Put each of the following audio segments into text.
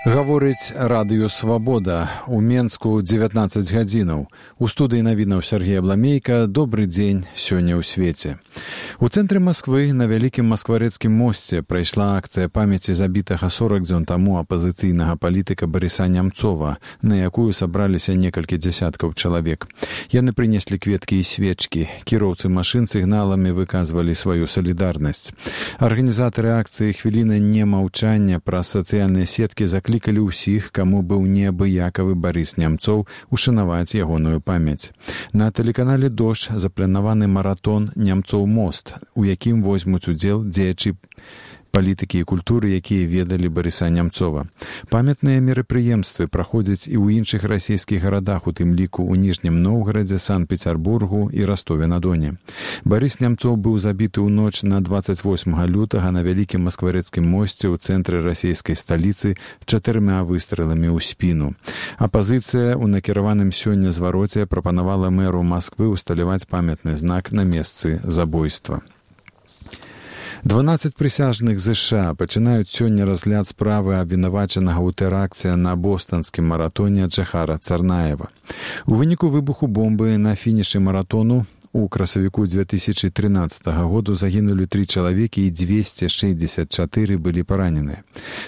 Гаворыць радыё «Свабода». У Менску 19 гадзінаў. У студыі навінаў Сергей Абламейка. Добры дзень сёння ў свеце. У цэнтры Масквы на вялікім маскварэцкім мосце прайшла акцыя памяці забітага 40 дзён таму апазіцыйнага палітыка Барыса Нямцова, на якую сабраліся некалькі дзясяткаў чалавек. Яны прынеслі кветкі і свечкі. Кіроўцы машын сігналамі выказвалі сваю салідарнасць. Арганізатары акцыі «Хвіліна немаўчання» праз сацыяльныя сеткі заклікалі ўсіх, каму быў неабыякавы Барыс Нямцоў, ушанаваць ягоную памяць. На тэлеканале «Дождь» запланаваны маратон «Нямцоў мост», у якім возьмуць удзел дзеячы палітыкі і культуры, якія ведалі Барыса Нямцова. Памятныя мерапрыемствы праходзяць і ў іншых расійскіх гарадах, у тым ліку ў Ніжнім Новгарадзе, Санкт-Пецярбургу і Ростове-на-Доне. Барыс Нямцоў быў забіты ў ноч на 28 лютага на вялікім маскварэцкім мосце ў цэнтры расійскай сталіцы 4 выстрэламі ў спіну. Апазіцыя ў накіраваным сёння звароце прапанавала мэру Масквы усталяваць памятны знак на месцы забойства. 12 прысяжных ЗША пачынаюць сёння разгляд справы абвінавачанага ў тэракце на бостанскім маратоне Джахара Царнаева. У выніку выбуху бомбы на фінішы маратону у красавіку 2013 году загінулі 3 чалавекі і 264 былі параненыя.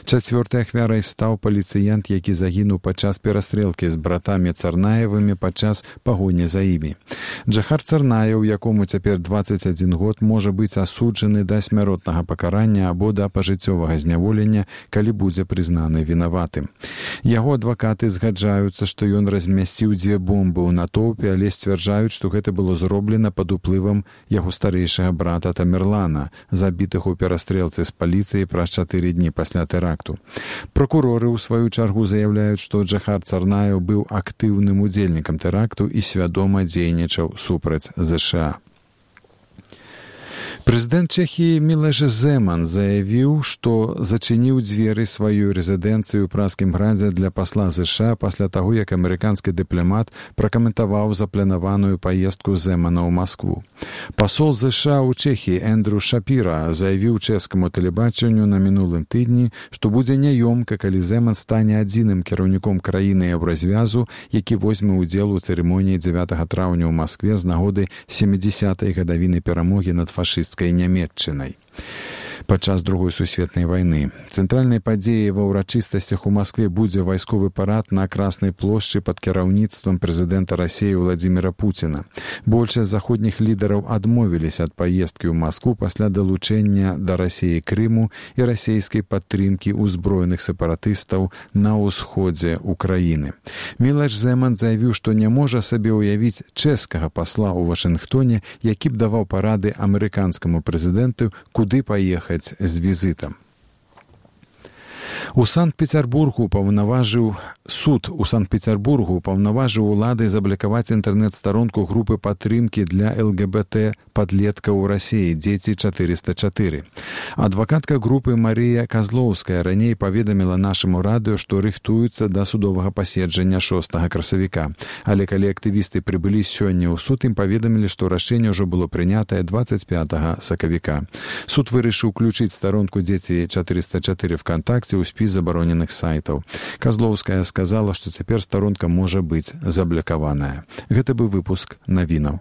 Чацвёртай ахвярай стаў паліцыянт, які загінуў падчас перастрэлкі з братамі Царнаевымі падчас пагоні за імі. Джахар Царнаев, якому цяпер 21 год, можа быць асуджаны да смяротнага пакарання або да пажыццёвага зняволення, калі будзе прызнаны вінаватым. Яго адвакаты згаджаюцца, што ён размясціў 2 бомбы ў натоўпе, але сцвярджаюць, што гэта было зроблена пад уплывам яго старэйшага брата Тамерлана, забітых у перастрэлцы з паліцыяй праз 4 дні пасля тэракту. Пракуроры ў сваю чаргу заяўляюць, што Джахар Царнаев быў актыўным удзельнікам тэракту і свядома дзейнічаў супраць ЗША. Прэзідэнт Чэхіі Мілош Земан заявіў, што зачыніў дзверы сваёй рэзідэнцыі ў Празкім градзе для пасла ЗША пасля таго, як амерыканскі дыпламат пракаментаваў запланаваную паездку Земана ў Маскву. Пасол ЗША ў Чэхіі Эндрю Шапіра заявіў чэшскаму тэлебачанню на мінулым тыдні, што будзе няёмка, калі Земан стане адзіным кіраўніком краіны Еўразвязу, які возьме ўдзел у цырымоніі 9 траўня ў Маскве з нагоды 70-й гадавіны перамогі над фашысцкай Нямецчынай падчас Другой сусветнай вайны. Цэнтральнай падзеяй ва ўрачыстасцях у Маскве будзе вайсковы парад на Краснай плошчы пад кіраўніцтвам прэзідэнта Расіі Владзіміра Пуціна. Большасць заходніх лідараў адмовіліся ад паездкі ў Маскву пасля далучэння да Расіі Крыму і расійскай падтрымкі ўзброеных сепаратыстаў на ўсходзе ўкраіны. Мілош Земан заявіў, што не можа сабе ўявіць чэшскага пасла ў Вашынгтоне, які б даваў парады амерыканскаму прэзідэнту, куды паехаць з візітам. У Санкт-Пецярбургу суд у Санкт-Пецярбургу паўнаважыў улады заблакаваць інтэрнэт-старонку групы падтрымкі для ЛГБТ падлеткаў у Расіі «Дзеці 404». Адвакатка групы Марія Казлоўская раней паведаміла нашаму радыё, што рыхтуюцца да судовага паседжання 6 красавіка. Але калі актывісты прыбылі сёння ў суд, ім паведамілі, што рашэнне ўжо было прынятае 25 сакавіка. Суд вырашыў уключыць старонку «Дзеці 404» ВКонтакце ў спіс забароненых сайтаў. Казлоўская сказала, што цяпер старонка можа быць заблакаваная. Гэта быў выпуск навінаў.